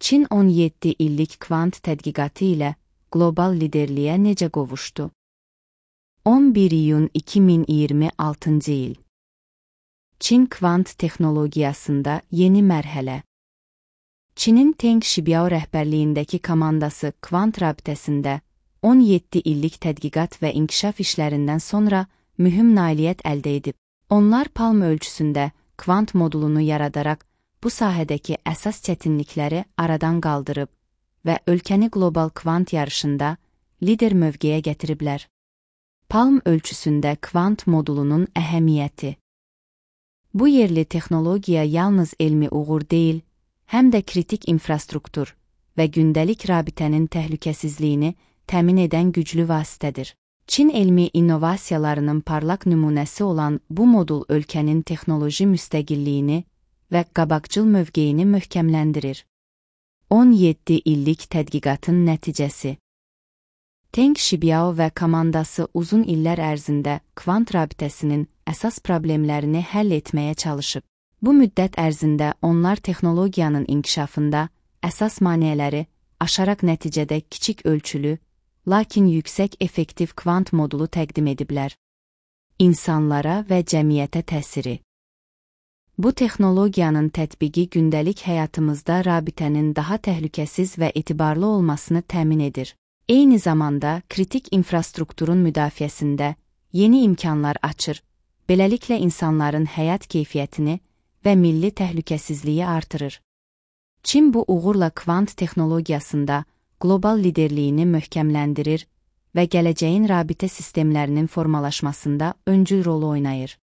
Çin 17 illik kvant tədqiqatı ilə qlobal liderliyə necə qovuşdu? 11 iyun 2026 il. Çin kvant texnologiyasında yeni mərhələ. Çinin Teng Xibiao rəhbərliyindəki komandası kvant rabitəsində 17 illik tədqiqat və inkişaf işlərindən sonra mühüm nailiyyət əldə edib. Onlar Palm ölçüsündə kvant modulunu yaradaraq bu sahədəki əsas çətinlikləri aradan qaldırıb və ölkəni qlobal kvant yarışında lider mövqeyə gətiriblər. Palm ölçüsündə kvant modulunun əhəmiyyəti. Bu yerli texnologiya yalnız elmi uğur deyil, həm də kritik infrastruktur və gündəlik rabitənin təhlükəsizliyini təmin edən güclü vasitədir. Çin elmi innovasiyalarının parlaq nümunəsi olan bu modul ölkənin texnoloji müstəqilliyini və qabaqcıl mövqeyini möhkəmləndirir. 17 illik tədqiqatın nəticəsi. Teng Xibiao və komandası uzun illər ərzində kvant rabitəsinin əsas problemlərini həll etməyə çalışıb. Bu müddət ərzində onlar texnologiyanın inkişafında əsas maneələri aşaraq nəticədə kiçik ölçülü, lakin yüksək effektiv kvant modulu təqdim ediblər. İnsanlara və cəmiyyətə təsiri. Bu texnologiyanın tətbiqi gündəlik həyatımızda rabitənin daha təhlükəsiz və etibarlı olmasını təmin edir. Eyni zamanda kritik infrastrukturun müdafiəsində yeni imkanlar açır, beləliklə insanların həyat keyfiyyətini və milli təhlükəsizliyi artırır. Çin bu uğurla kvant texnologiyasında qlobal liderliyini möhkəmləndirir və gələcəyin rabitə sistemlərinin formalaşmasında öncül rol oynayır.